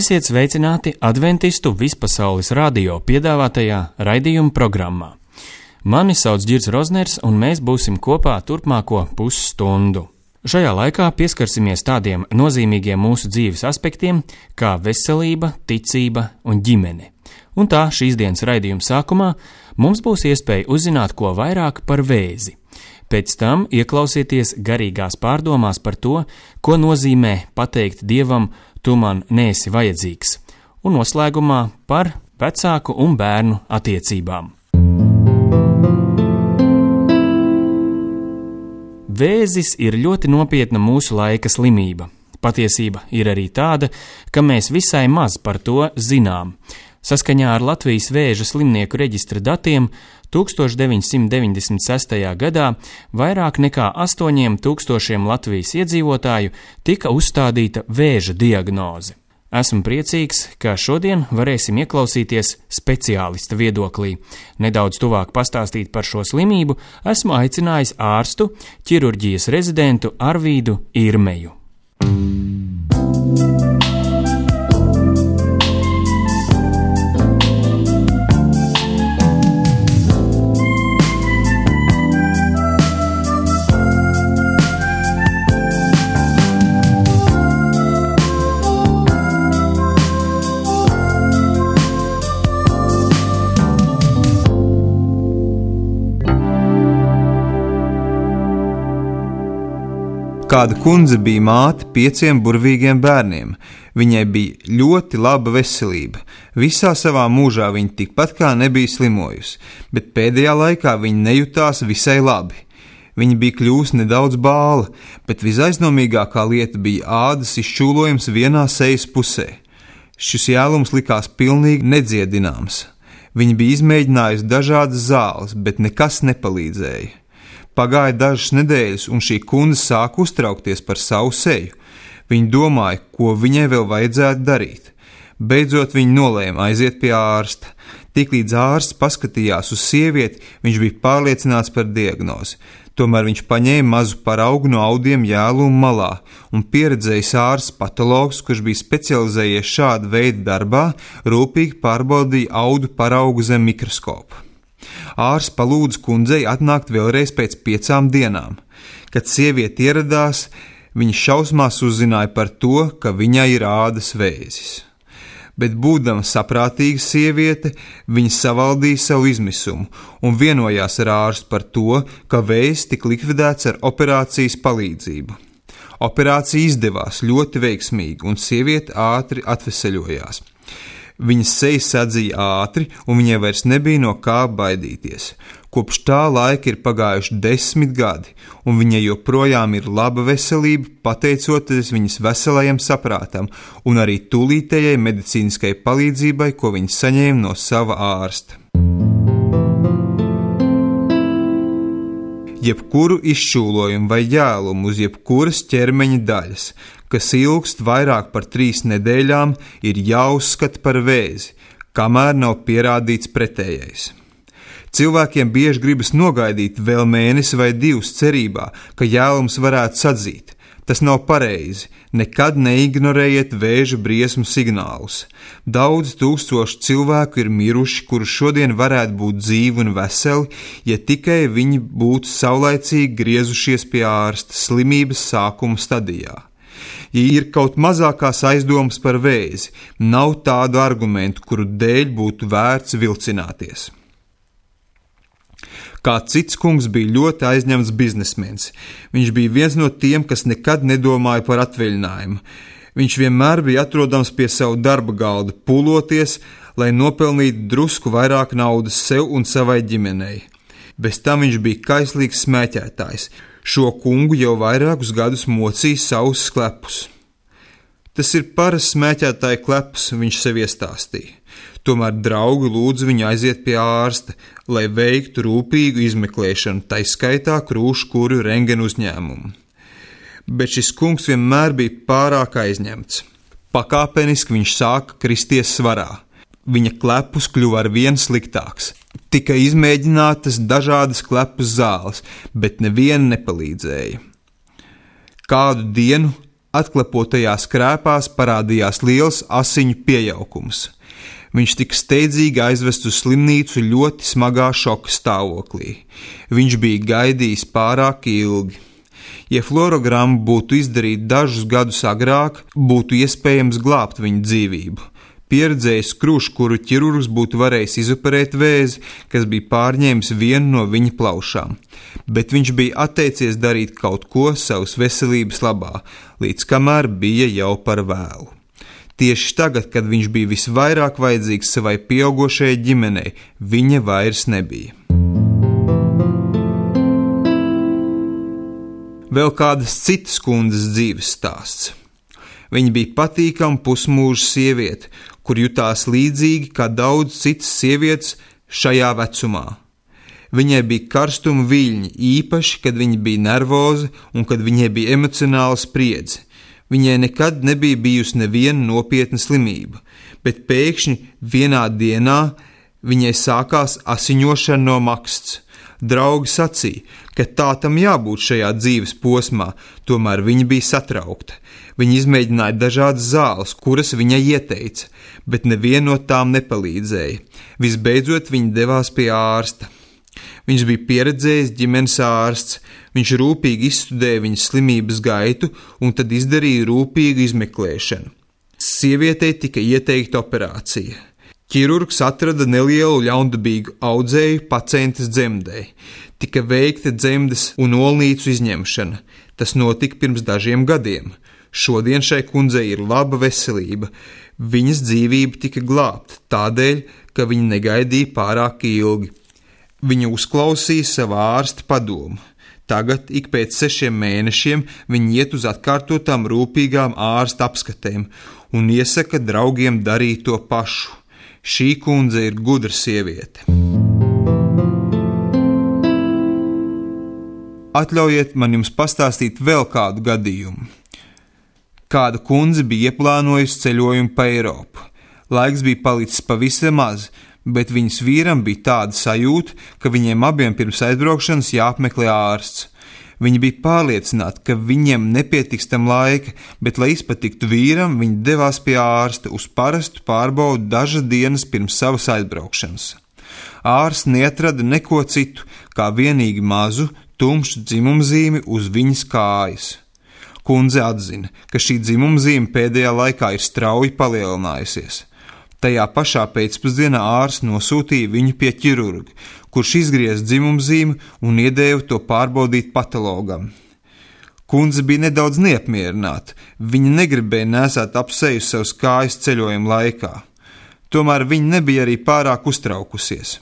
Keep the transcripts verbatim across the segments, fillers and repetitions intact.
Esiet sveicināti Adventistu vispasaules radio piedāvātajā raidījuma programmā. Mani sauc Ģirds Rozners, un mēs būsim kopā turpmāko pusstundu. Šajā laikā pieskarsimies tādiem nozīmīgiem mūsu dzīves aspektiem, kā veselība, ticība un ģimene. Un tā šīs dienas raidījuma sākumā mums būs iespēja uzzināt ko vairāk par vēzi. Pēc tam ieklausieties garīgās pārdomās par to, ko nozīmē pateikt Dievam, tu man neesi vajadzīgs, un noslēgumā par vecāku un bērnu attiecībām. Vēzis ir ļoti nopietna mūsu laika slimība. Patiesība ir arī tāda, ka mēs visai maz par to zinām. Saskaņā ar Latvijas vēža slimnieku reģistra datiem tūkstoš deviņsimt deviņdesmit sestajā gadā vairāk nekā astoņiem tūkstošiem Latvijas iedzīvotāju tika uzstādīta vēža diagnoze. Esmu priecīgs, ka šodien varēsim ieklausīties speciālista viedoklī. Nedaudz tuvāk pastāstīt par šo slimību esmu aicinājis ārstu, ķirurģijas rezidentu Arvīdu Irmeju. Kāda kundze bija māte pieciem burvīgiem bērniem. Viņai bija ļoti laba veselība. Visā savā mūžā viņa tikpat kā nebija slimojusi, bet pēdējā laikā viņa nejutās visai labi. Viņa bija kļūst nedaudz bāla, bet visaiznomīgākā lieta bija ādas izšķūlojums vienā sejas pusē. Šis jēlums likās pilnīgi nedziedināms. Viņa bija izmēģinājusi dažādas zāles, bet nekas nepalīdzēja. Pagāja dažas nedēļas, un šī kundze sāka uztraukties par savu seju. Viņa domāja, ko viņai vēl vajadzētu darīt. Beidzot viņa nolēma aiziet pie ārsta. Tiklīdz ārsts paskatījās uz sievieti, viņš bija pārliecināts par diagnozi. Tomēr viņš paņēma mazu paraugu no audiem jēluma malā, un pieredzējis ārsts patologs, kurš bija specializējies šāda veida darbā, rūpīgi pārbaudīja audu paraugu zem mikroskopa. Ārsts palūdza kundzei atnākt vēlreiz pēc piecām dienām. Kad sieviete ieradās, viņa šausmās uzzināja par to, ka viņai ir ādas vēzis. Bet būdama saprātīga sieviete, viņa savaldīja savu izmisumu un vienojās ar ārstu par to, ka vēzis tika likvidēts ar operācijas palīdzību. Operācija izdevās ļoti veiksmīgi, un sieviete ātri atveseļojās. Viņas seja sadzīja ātri, un viņai vairs nebija no kā baidīties. Kopš tā laika ir pagājuši desmit gadi, un viņai joprojām ir laba veselība, pateicoties viņas veselajam saprātam un arī tūlītējai medicīniskai palīdzībai, ko viņa saņēma no sava ārsta. Jebkuru izšķūlojumu vai jēlumu uz jebkuras ķermeņa daļas, kas ilgst vairāk par trīs nedēļām, ir jāuzskata par vēzi, kamēr nav pierādīts pretējais. Cilvēkiem bieži gribas nogaidīt vēl mēnesi vai divus cerībā, ka jēlums varētu sadzīt. Tas nav pareizi. Nekad neignorējiet vēža briesmu signālus. Daudz tūkstoši cilvēku ir miruši, kuri šodien varētu būt dzīvi un veseli, ja tikai viņi būtu saulaicīgi griezušies pie ārsta slimības sākuma stadijā. Ja ir kaut mazākās aizdomas par vēzi, nav tādu argumentu, kuru dēļ būtu vērts vilcināties. Kāds cits kungs bija ļoti aizņemts biznesmenis. Viņš bija viens no tiem, kas nekad nedomāja par atvaļinājumu. Viņš vienmēr bija atrodams pie savu darba galda, pūloties, lai nopelnītu drusku vairāk naudas sev un savai ģimenei. Bez tam viņš bija kaislīgs smēķētājs. Šo kungu jau vairākus gadus mocīja savus klepus. Tas ir parasts smēķētāja kleps, viņš sev iestāstīja. Tomēr draugi lūdza viņu aiziet pie ārsta, lai veiktu rūpīgu izmeklēšanu, tai skaitā krūškuru rentgenu uzņēmumu. Bet šis kungs vienmēr bija pārāk aizņemts. Pakāpeniski viņš sāka kristies svarā. Viņa klepus kļuva ar vien sliktāks. Tika izmēģinātas dažādas klepus zāles, bet neviena nepalīdzēja. Kādu dienu Atklapotajās krēpās parādījās liels asiņu piejaukums. Viņš tika steidzīgi aizvests uz slimnīcu ļoti smagā šoka stāvoklī. Viņš bija gaidījis pārāk ilgi. Ja fluorogramma būtu izdarīta dažus gadus agrāk, būtu iespējams glābt viņa dzīvību. Pieredzējis krūškuru ķirurgs būtu varējis izoperēt vēzi, kas bija pārņēmis vienu no viņa plaušām, bet viņš bija atteicies darīt kaut ko savas veselības labā, līdz kamēr bija jau par vēlu. Tieši tagad, kad viņš bija visvairāk vajadzīgs savai pieaugušajai ģimenei, viņa vairs nebija. Vēl kādas citas kundzes dzīves stāsts. Viņa bija patīkama pusmūža sieviete, kur jutās līdzīgi kā daudz citas sievietes šajā vecumā. Viņai bija karstuma viļņi, īpaši, kad viņa bija nervoza un kad viņai bija emocionāla spriedze. Viņai nekad nebija bijusi neviena nopietna slimība, bet pēkšņi vienā dienā viņai sākās asiņošana no maksts. Draugi sacīja, ka tā tam jābūt šajā dzīves posmā, tomēr viņa bija satraukta. Viņa izmēģināja dažādas zāles, kuras viņai ieteica, bet neviena no tām nepalīdzēja. Visbeidzot, viņa devās pie ārsta. Viņš bija pieredzējis ģimenes ārsts, viņš rūpīgi izstudēja viņas slimības gaitu un tad izdarīja rūpīgu izmeklēšanu. Sievietei tika ieteikta operācija. Ķirurgs atrada nelielu ļaundabīgu audzēju pacientes dzemdei. Tika veikta dzemdes un olnīcu izņemšana. Tas notika pirms dažiem gadiem. Šodien šai kundzei ir laba veselība. Viņas dzīvība tika glābta tādēļ, ka viņa negaidīja pārāk ilgi. Viņa uzklausīja savu ārsta padomu. Tagad, ik pēc sešiem mēnešiem, viņa iet uz atkārtotām rūpīgām ārsta apskatēm un iesaka draugiem darīt to pašu. Šī kundze ir gudra sieviete. Atļaujiet man jums pastāstīt vēl kādu gadījumu. Kāda kundze bija ieplānojusi ceļojumu pa Eiropu. Laiks bija palicis pavisam maz, bet viņas vīram bija tāda sajūta, ka viņiem abiem pirms aizbraukšanas jāapmeklē ārsts. Viņi bija pārliecināti, ka viņiem nepietiks tam laika, bet, lai izpatiktu vīram, viņi devās pie ārsta uz parastu pārbaudu dažas dienas pirms savas aizbraukšanas. Ārsts neatrada neko citu, kā vienīgi mazu, tumšu dzimumzīmi uz viņas kājas. Kundze atzina, ka šī dzimumzīme pēdējā laikā ir strauji palielinājusies. Tajā pašā pēcpusdienā ārsts nosūtīja viņu pie ķirurga, kurš izgrieza dzimumzīmi un iedēva to pārbaudīt patologam. Kundze bija nedaudz neapmierināta, viņa negribēja nesāt ap seju savas kājas ceļojuma laikā. Tomēr viņa nebija arī pārāk uztraukusies.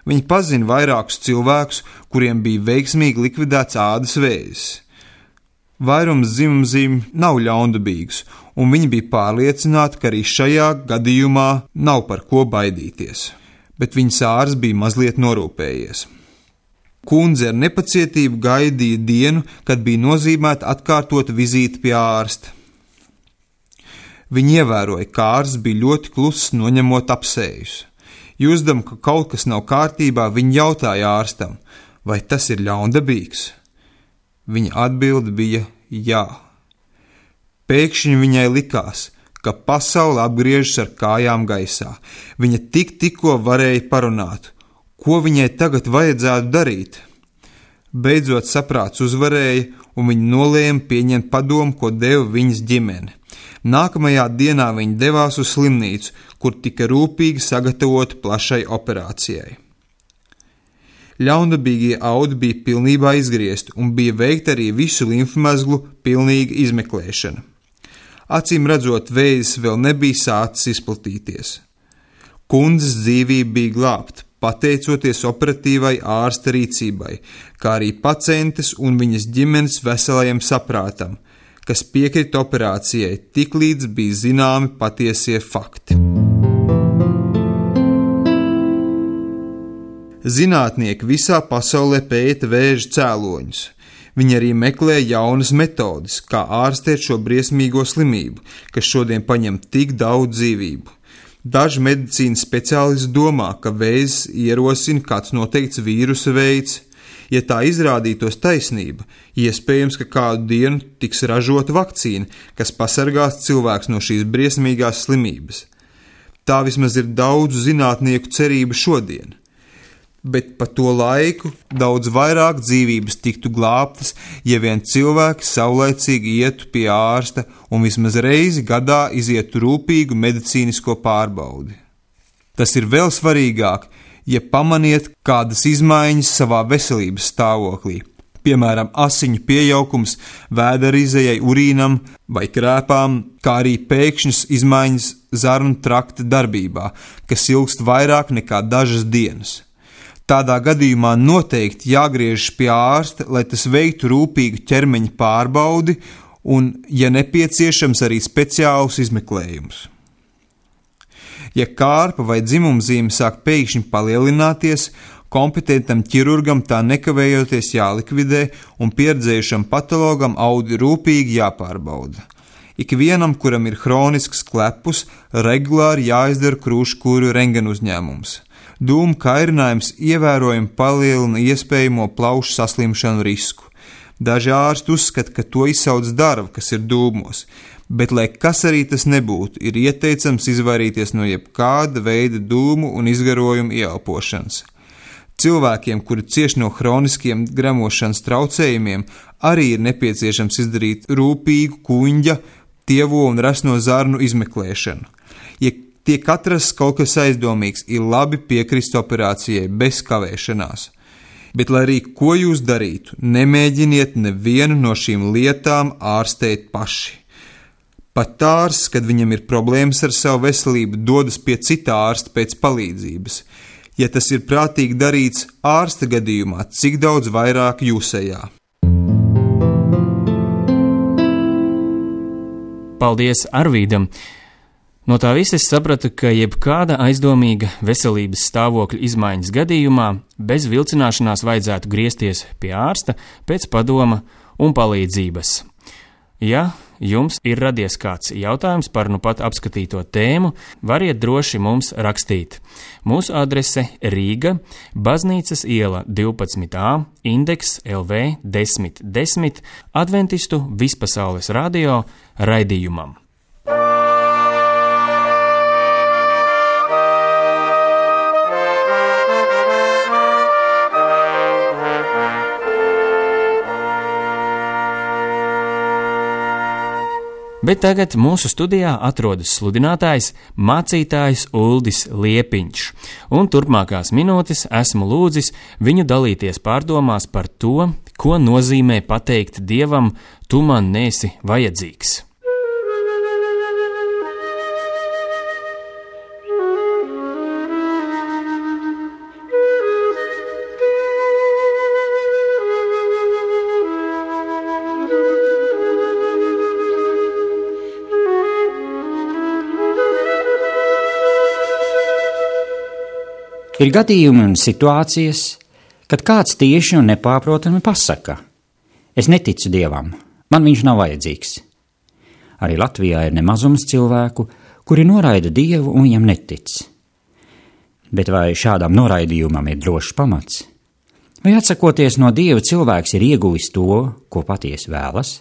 Viņa pazina vairākus cilvēkus, kuriem bija veiksmīgi likvidēts ādas vēzis. Vairums dzimumzīmju nav ļaundabīgs, un viņi bija pārliecināti, ka arī šajā gadījumā nav par ko baidīties. Bet viņas ārsts bija mazliet norūpējies. Kundze ar nepacietību gaidīja dienu, kad bija nozīmēta atkārtota vizīte pie ārsta. Viņa ievēroja, ka ārsts bija ļoti kluss, noņemot apsējus. Jūsdama, ka kaut kas nav kārtībā, viņa jautāja ārstam, vai tas ir ļaundabīgs. Viņa atbilde bija jā. Pēkšņi viņai likās, ka pasaule apgriežas ar kājām gaisā. Viņa tik tikko varēja parunāt, ko viņai tagad vajadzētu darīt. Beidzot saprāts uzvarēja, un viņa nolēma pieņemt padomu, ko deva viņas ģimene. Nākamajā dienā viņa devās uz slimnīcu, kur tika rūpīgi sagatavota plašai operācijai. Ļaundabīgie audi bija pilnībā izgriezti un bija veikta arī visu limfmezglu pilnīga izmeklēšana. Acīm redzot, vēzis vēl nebija sācis izplatīties. Kundzes dzīvība bija glābta, pateicoties operatīvai ārsta rīcībai, kā arī pacientes un viņas ģimenes veselajam saprātam, kas piekrita operācijai tiklīdz bija zināmi patiesie fakti. Zinātnieki visā pasaulē pēta vēža cēloņus. Viņi arī meklē jaunas metodes, kā ārstēt šo briesmīgo slimību, kas šodien paņem tik daudz dzīvību. Daži medicīnas speciālisti domā, ka vēzis ierosina kāds noteikts vīrusa veids. Ja tā izrādītos taisnība, iespējams, ka kādu dienu tiks ražota vakcīna, kas pasargās cilvēks no šīs briesmīgās slimības. Tā vismaz ir daudzu zinātnieku cerība šodien. Bet pa to laiku daudz vairāk dzīvības tiktu glābtas, ja vien cilvēki saulaicīgi ietu pie ārsta un vismaz reizi gadā izietu rūpīgu medicīnisko pārbaudi. Tas ir vēl svarīgāk, ja pamaniet kādas izmaiņas savā veselības stāvoklī, piemēram, asiņu piejaukums, vēderizejai, urīnam vai krēpām, kā arī pēkšņas izmaiņas zarnu trakta darbībā, kas ilgst vairāk nekā dažas dienas. Tādā gadījumā noteikti jāgriežas pie ārsta, lai tas veiktu rūpīgu ķermeņa pārbaudi un, ja nepieciešams, arī speciālus izmeklējumus. Ja kārpa vai dzimumzīme sāk pēkšņi palielināties, kompetentam ķirurgam tā nekavējoties jālikvidē un pieredzējušam patologam audi rūpīgi jāpārbauda. Ikvienam, kuram ir hronisks klepus, regulāri jāizdara krūškūru rentgena uzņēmums. Dūmu kairinājums ievērojami palielina iespējamo plaušu saslimšanu risku. Daži ārsti uzskata, ka to izsauc darba, kas ir dūmos, bet, lai kas arī tas nebūtu, ir ieteicams izvairīties no jebkāda veida dūmu un izgarojumu ieelpošanas. Cilvēkiem, kuri cieš no hroniskiem gremošanas traucējumiem, arī ir nepieciešams izdarīt rūpīgu kuņģa, tievo un resno zarnu izmeklēšanu. Ja tiek atrasts kaut kas aizdomīgs, ir labi piekrist operācijai bez kavēšanās. Bet, lai arī ko jūs darītu, nemēģiniet nevienu no šīm lietām ārstēt paši. Pat ārsts, kad viņam ir problēmas ar savu veselību, dodas pie cita ārsta pēc palīdzības. Ja tas ir prātīgi darīts ārsta gadījumā, cik daudz vairāk jūsējā. Paldies Arvīdam! No tā visa es sapratu, ka jebkāda aizdomīga veselības stāvokļa izmaiņas gadījumā bez vilcināšanās vajadzētu griezties pie ārsta pēc padoma un palīdzības. Ja jums ir radies kāds jautājums par nu pat apskatīto tēmu, variet droši mums rakstīt. Mūsu adrese Rīga, Baznīcas iela divpadsmit A, indeks L V desmit desmit, Adventistu vispasaules radio raidījumam. Bet tagad mūsu studijā atrodas sludinātājs, mācītājs Uldis Liepiņš, un turpmākās minūtes esmu lūdzis viņu dalīties pārdomās par to, ko nozīmē pateikt Dievam, tu man neesi vajadzīgs. Ir gadījumi un situācijas, kad kāds tieši un nepārprotami pasaka: es neticu Dievam, man viņš nav vajadzīgs. Arī Latvijā ir nemazums cilvēku, kuri noraida Dievu un viņam netic. Bet vai šādam noraidījumam ir drošs pamats? Vai atsakoties no Dieva cilvēks ir ieguvis to, ko patiesi vēlas?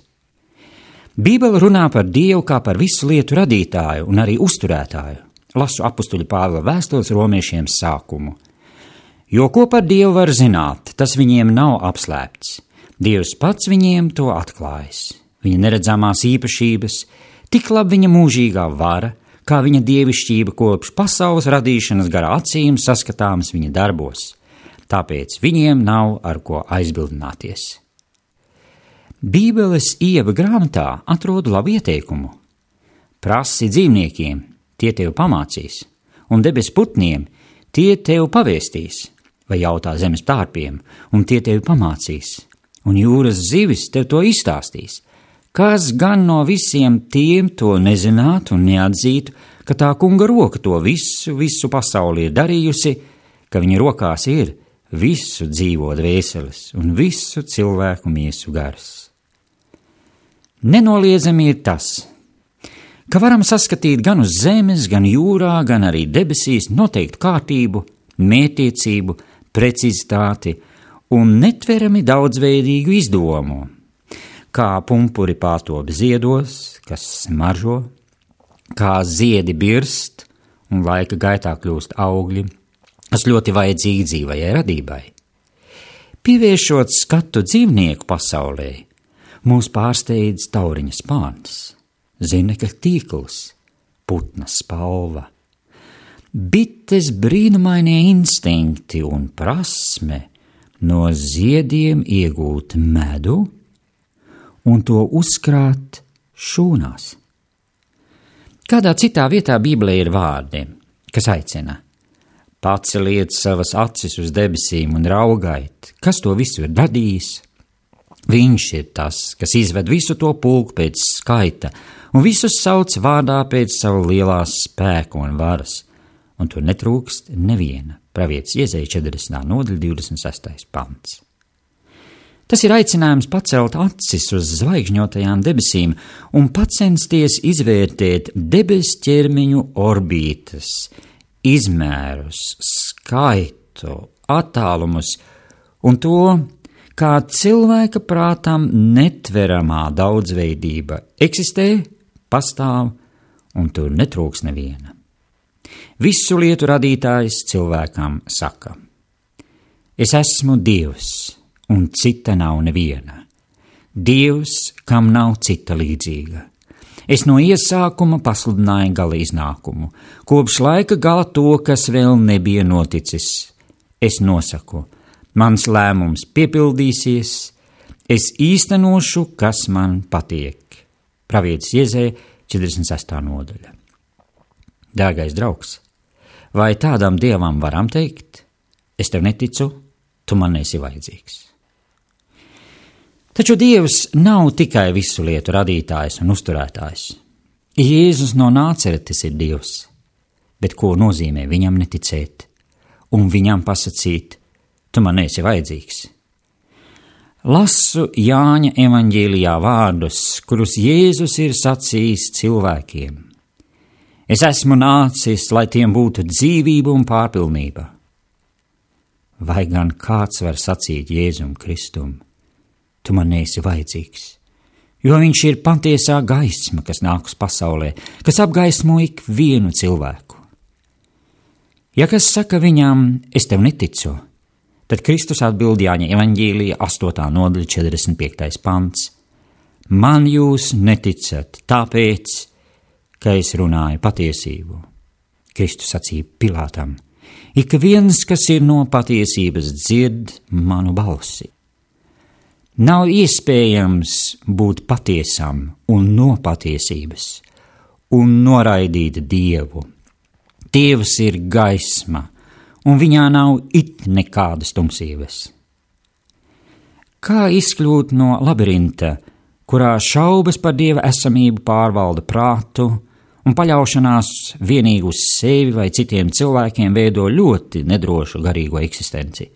Bībele runā par Dievu kā par visu lietu radītāju un arī uzturētāju. Lasu apustuļa Pāvila vēstules romiešiem sākumu. Jo ko par Dievu var zināt, tas viņiem nav apslēpts. Dievs pats viņiem to atklājis. Viņa neredzamās īpašības, tik labi viņa mūžīgā vara, kā viņa dievišķība kopš pasaules radīšanas gara acīm saskatāmas viņa darbos. Tāpēc viņiem nav ar ko aizbildināties. Bībeles Ieva grāmatā atrodu labu ieteikumu. Prasi dzīvniekiem, tie tev pamācīs, un debes putniem, tie tev pavēstīs, vai jautā zemes tārpiem, un tie tev pamācīs, un jūras zivis tev to izstāstīs. Kas gan no visiem tiem to nezinātu un neatzītu, ka tā kunga roka to visu, visu pasauli ir darījusi, ka viņa rokās ir visu dzīvo dvēseles un visu cilvēku miesu gars. Nenoliedzami ir tas, ka varam saskatīt gan uz zemes, gan jūrā, gan arī debesīs noteiktu kārtību, mētiecību, precizitāti un netverami daudzveidīgu izdomu, kā pumpuri pārtop ziedos, kas smaržo, kā ziedi birst un laika gaitā kļūst augļi, kas ļoti vajadzīgi dzīvajai radībai. Pievēršot skatu dzīvnieku pasaulē, mūs pārsteidz tauriņa spārns, zinekļa tīkls, putna spalva. Bites brīnumainie instinkti un prasme no ziediem iegūt medu un to uzkrāt šūnās. Kādā citā vietā Bībelē ir vārdi, kas aicina: paceliet savas acis uz debesīm un raugait, kas to visu ir radījis. Viņš ir tas, kas izved visu to pulku pēc skaita un visus sauc vārdā pēc savu lielā spēka un varas, un tur netrūkst neviena. Pravietis Iezeja četrdesmitā nodaļa divdesmit sestais pants. Tas ir aicinājums pacelt acis uz zvaigžņotajām debesīm un pacensties izvērtēt debes ķermeņu orbītas, izmērus, skaitu, attālumus un to, kā cilvēka prātam netveramā daudzveidība eksistē, pastāv un tur netrūks neviena. Visu lietu radītājs cilvēkam saka: es esmu Dievs, un cita nav neviena. Dievs, kam nav cita līdzīga. Es no iesākuma pasludināju gala iznākumu, kopš laika gala to, kas vēl nebija noticis. Es nosaku, mans lēmums piepildīsies, es īstenošu, kas man patiek. Pravietis Iezeja četrdesmit sestā nodaļa. Dārgais draugs, vai tādam Dievam varam teikt: es tev neticu, tu man esi vajadzīgs? Taču Dievs nav tikai visu lietu radītājs un uzturētājs. Jēzus no Nāceretes ir Dievs, bet ko nozīmē viņam neticēt un viņam pasacīt: tu man esi vajadzīgs? Lasu Jāņa evaņģēlijā vārdus, kurus Jēzus ir sacījis cilvēkiem. Es esmu nācis, lai tiem būtu dzīvība un pārpilnība. Vai gan kāds var sacīt Jēzum Kristum: tu man neesi vajadzīgs, jo viņš ir patiesā gaisma, kas nāk uz pasaulē, kas apgaismo ik vienu cilvēku. Ja kas saka viņam: es tev neticu, tad Kristus atbild Jāņa evaņģēlija astotā nodaļa četrdesmit piektais pants: man jūs neticat, tāpēc, ka es runāju patiesību. Kristus sacīja Pilātam: ik viens, kas ir no patiesības, dzird manu balsi. Nav iespējams būt patiesam un no patiesības un noraidīt Dievu. Dievs ir gaisma, un viņā nav it nekādas tumsības. Kā izkļūt no labirinta, kurā šaubas par Dieva esamību pārvalda prātu un paļaušanās vienīgi uz sevi vai citiem cilvēkiem veido ļoti nedrošu garīgo eksistenci?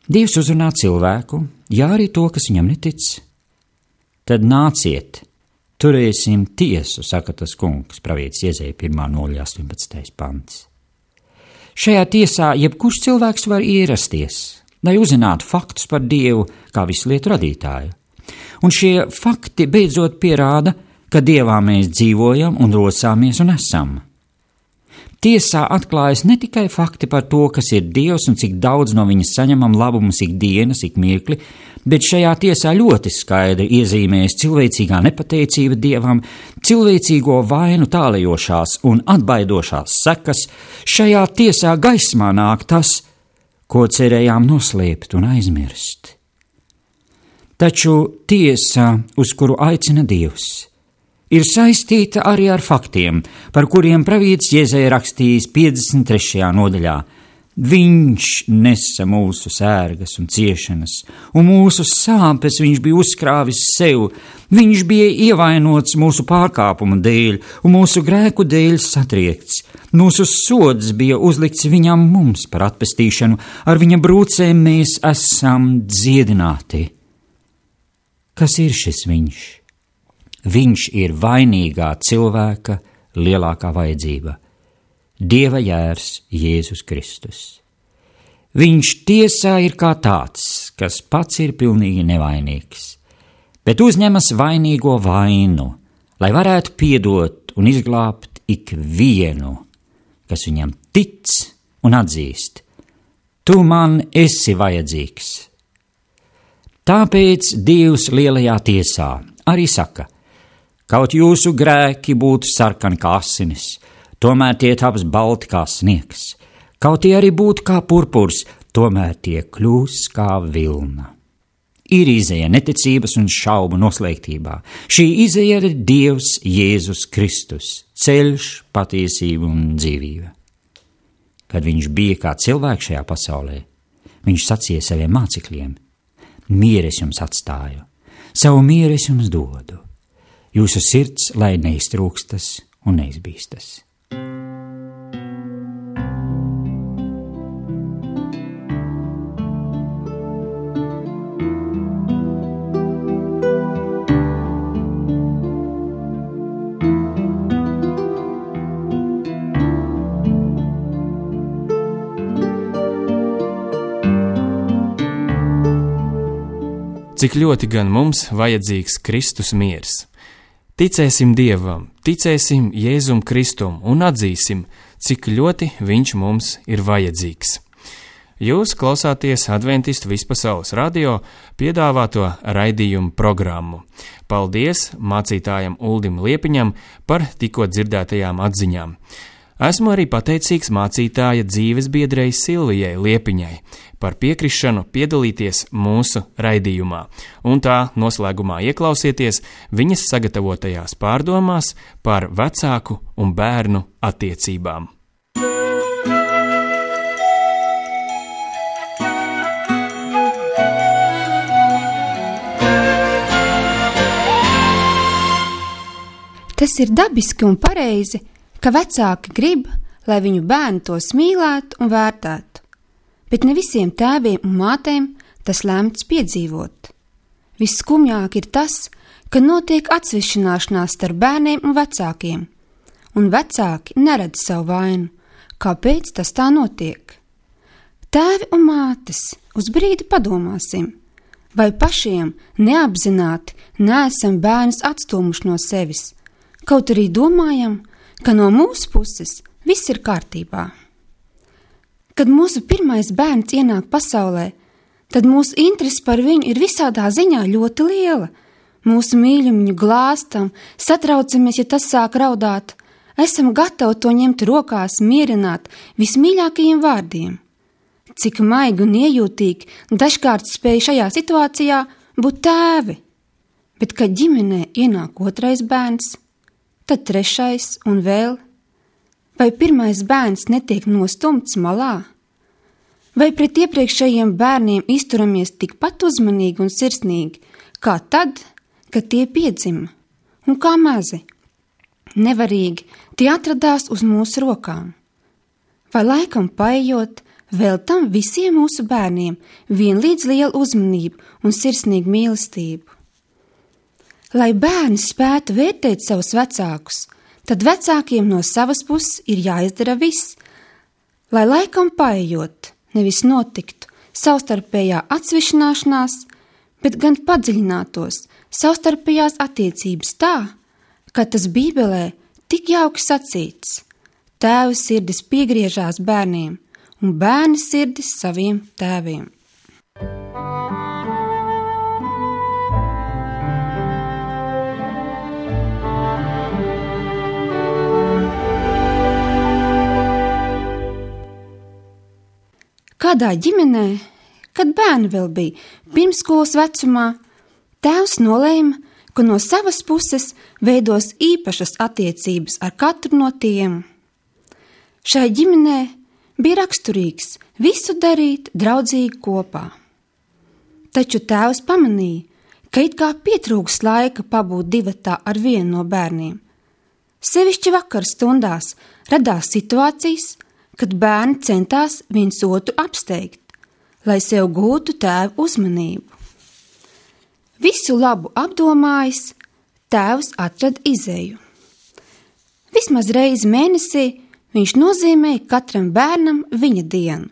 Dievs uzrunā cilvēku, jā arī to, kas viņam netic. Tad nāciet, turēsim tiesu, saka tas kungs, pravietis Iezeja pirmā nodaļa astoņpadsmitais pants. Šajā tiesā jebkurš cilvēks var ierasties, lai uzzinātu faktus par Dievu kā visu lietu radītāju. Un šie fakti beidzot pierāda, ka Dievā mēs dzīvojam un rosāmies un esam. Tiesā atklājas ne tikai fakti par to, kas ir Dievs un cik daudz no viņa saņemam labumus ik dienas, ik mirkli, bet šajā tiesā ļoti skaidri iezīmējas cilvēcīgā nepateicība Dievam, cilvēcīgo vainu tālajošās un atbaidošās sekas. Šajā tiesā gaismā nāk tas, ko cerējām noslēpt un aizmirst. Taču tiesa, uz kuru aicina Dievs, ir saistīta arī ar faktiem, par kuriem pravietis Iezeja rakstījis piecdesmit trešajā nodaļā. Viņš nesa mūsu sērgas un ciešanas, un mūsu sāpes viņš bija uzkrāvis sev. Viņš bija ievainots mūsu pārkāpumu dēļ, un mūsu grēku dēļ satriekts. Mūsu sods bija uzlikts viņam mums par atpestīšanu, ar viņa brūcēm mēs esam dziedināti. Kas ir šis viņš? Viņš ir vainīgā cilvēka lielākā vajadzība – Dieva jērs Jēzus Kristus. Viņš tiesā ir kā tāds, kas pats ir pilnīgi nevainīgs, bet uzņemas vainīgo vainu, lai varētu piedot un izglābt ikvienu, kas viņam tic un atzīst: tu man esi vajadzīgs. Tāpēc Dievs lielajā tiesā arī saka: kaut jūsu grēki būtu sarkani kā asinis, tomēr tie taps balti kā sniegs, kaut tie arī būtu kā purpurs, tomēr tie kļūs kā vilna. Ir izeja neticības un šaubu noslēgtībā. Šī izeja ir Dievs Jēzus Kristus, ceļš, patiesība un dzīvība. Kad viņš bija kā cilvēks šajā pasaulē, viņš sacīja saviem mācekļiem: mieru es jums atstāju, savu mieru es jums dodu. Jūsu sirds lai neiztrūkstas un neizbīstas. Cik ļoti gan mums vajadzīgs Kristus miers. Ticēsim Dievam, ticēsim Jēzum Kristum un atzīsim, cik ļoti viņš mums ir vajadzīgs. Jūs klausāties Adventistu vispasaules radio piedāvāto raidījumu programmu. Paldies mācītājam Uldim Liepiņam par tikko dzirdētajām atziņām. Esmu arī pateicīgs mācītāja dzīves biedrei Silvijai Liepiņai par piekrišanu piedalīties mūsu raidījumā, un tā noslēgumā ieklausieties viņas sagatavotajās pārdomās par vecāku un bērnu attiecībām. Tas ir dabiski un pareizi, ka vecāki grib, lai viņu bērni tos mīlētu un vērtētu, bet ne visiem tēviem un mātēm tas lemts piedzīvot. Visskumjāk ir tas, ka notiek atsvešināšanās starp bērniem un vecākiem, un vecāki neredz savu vainu, kāpēc tas tā notiek. Tēvi un mātes, uz brīdi padomāsim, vai pašiem neapzināti neesam bērnus atstūmuši no sevis, kaut arī domājam, ka no mūsu puses viss ir kārtībā. Kad mūsu pirmais bērns ienāk pasaulē, tad mūsu interese par viņu ir visādā ziņā ļoti liela. Mūsu mīļam viņu glāstam, satraucamies, ja tas sāk raudāt, esam gatavi to ņemt rokās, mierināt vismīļākajiem vārdiem. Cik maigi un iejūtīgi dažkārt spēj šajā situācijā būt tēvi, bet kad ģimenē ienāk otrais bērns, tad trešais un vēl, vai pirmais bērns netiek nostumts malā? Vai pret iepriekšējiem bērniem izturamies tikpat uzmanīgi un sirsnīgi, kā tad, kad tie piedzima, un kā mazi? Nevarīgi tie atradās uz mūsu rokām. Vai laikam paejot, veltam visiem mūsu bērniem vienlīdz lielu uzmanību un sirsnīgu mīlestību? Lai bērni spētu vērtēt savus vecākus, tad vecākiem no savas puses ir jāizdara viss, lai laikam paejot, nevis notiktu savstarpējā atsvešināšanās, bet gan padziļinātos savstarpējās attiecības tā, ka tas Bībelē tik jauki sacīts: tēva sirdis piegriežās bērniem un bērni sirdis saviem tēviem. Kādā ģimenē, kad bērni vēl bija pirmsskolas vecumā, tēvs nolēma, ka no savas puses veidos īpašas attiecības ar katru no tiem. Šai ģimenē bija raksturīgs visu darīt draudzīgi kopā. Taču tēvs pamanīja, ka it kā pietrūks laika pabūt divatā ar vienu no bērniem. Sevišķi vakar stundās radās situācijas, kad bērni centās viens otru apsteigt, lai sev gūtu tēvu uzmanību. Visu labu apdomājis, tēvs atrada izeju. Vismaz reizi mēnesī viņš nozīmēja katram bērnam viņa dienu,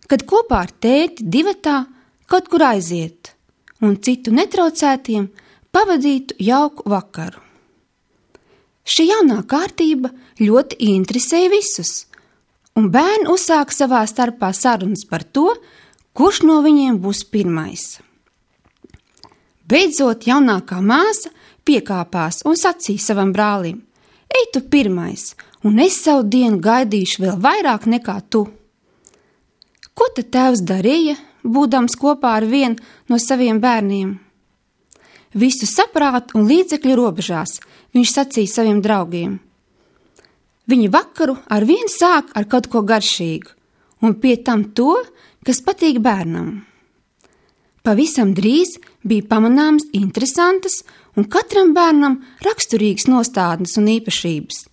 kad kopā ar tēti divatā kaut kur aiziet un citu netraucētiem pavadītu jauku vakaru. Šī jaunā kārtība ļoti interesēja visus, un bērni uzsāka savā starpā sarunas par to, kurš no viņiem būs pirmais. Beidzot, jaunākā māsa piekāpās un sacīja savam brālim: Ej tu pirmais, un es savu dienu gaidīšu vēl vairāk nekā tu. Ko tad tēvs darīja, būdams kopā ar vienu no saviem bērniem? Visu saprātu un līdzekļu robežās viņš sacīja saviem draugiem. Viņi vakaru ar vienu sāk ar kaut ko garšīgu, un pie tam to, kas patīk bērnam. Pavisam drīz bija pamanāmas interesantas un katram bērnam raksturīgas nostādnes un īpašības.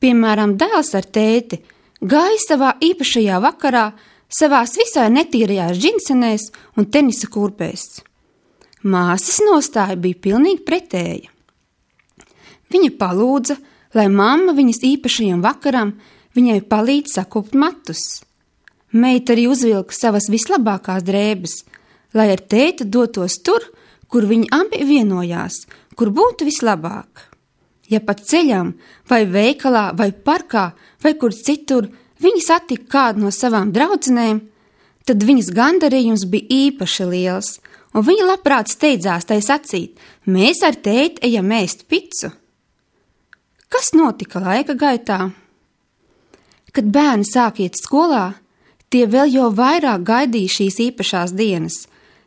Piemēram, dēls ar tēti gāja savā īpašajā vakarā savās visai netīrajās džinsenēs un tenisa kurpēs. Māsas nostāja bija pilnīgi pretēja. Viņa palūdza, lai mamma viņas īpašajam vakaram viņai palīdz sakupt matus. Meita arī uzvilka savas vislabākās drēbes, lai ar tēti dotos tur, kur viņi abi vienojās, kur būtu vislabāk. Ja pat ceļām, vai veikalā, vai parkā, vai kur citur viņi satika kādu no savām draudzenēm, tad viņas gandarījums bija īpaši liels, un viņa labprāt steidzās tai sacīt: mēs ar tēti ejam ēst picu. Kas notika laika gaitā? Kad bērni sāk iet skolā, tie vēl jau vairāk gaidīja šīs īpašās dienas,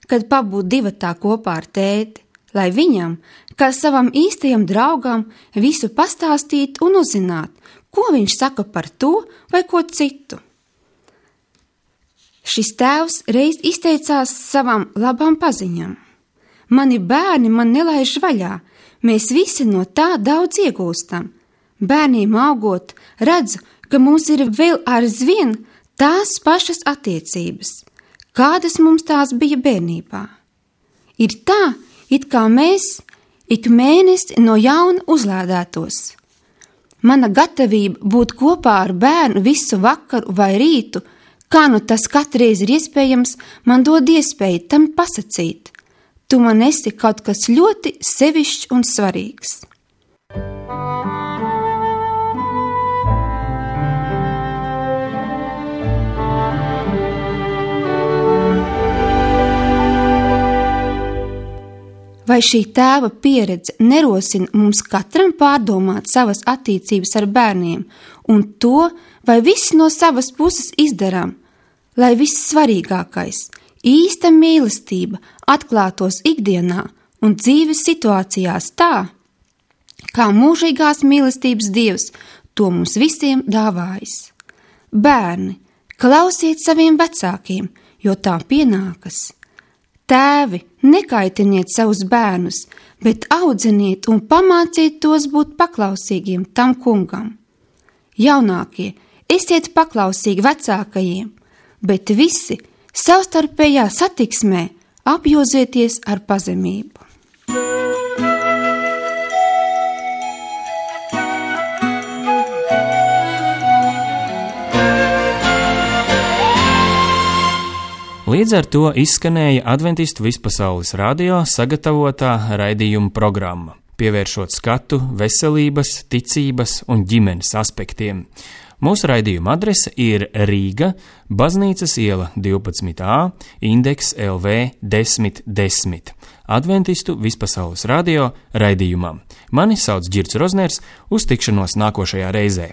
kad pabūt divatā kopā ar tēti, lai viņam, kā savam īstajam draugam, visu pastāstīt un uzzināt, ko viņš saka par to vai ko citu. Šis tēvs reiz izteicās savam labam paziņam: Mani bērni man nelaiž vaļā, mēs visi no tā daudz iegūstam. Bērniem augot, redzu, ka mums ir vēl aizvien tās pašas attiecības, kādas mums tās bija bērnībā. Ir tā, it kā mēs ik mēnesi no jauna uzlādētos. Mana gatavība būt kopā ar bērnu visu vakaru vai rītu, kā nu tas katreiz ir iespējams, man dod iespēju tam pasacīt: tu man esi kaut kas ļoti sevišķs un svarīgs. Vai šī tēva pieredze nerosina mums katram pārdomāt savas attiecības ar bērniem un to, vai visi no savas puses izdarām, lai vissvarīgākais, īsta mīlestība atklātos ikdienā un dzīves situācijās tā, kā mūžīgās mīlestības Dievs to mums visiem dāvājis. Bērni, klausiet saviem vecākiem, jo tā pienākas. Tēvi, nekaitiniet savus bērnus, bet audziniet un pamāciet tos būt paklausīgiem tam kungam. Jaunākie, esiet paklausīgi vecākajiem, bet visi savstarpējā satiksmē apjozieties ar pazemību. Līdz ar to izskanēja Adventistu vispasaules radio sagatavotā raidījuma programma, pievēršot skatu veselības, ticības un ģimenes aspektiem. Mūsu raidījuma adrese ir Rīga, Baznīcas iela divpadsmit A, indeks L V desmit desmit. Adventistu vispasaules radio raidījumam. Mani sauc Ģirds Rozners, uz tikšanos nākošajā reizē.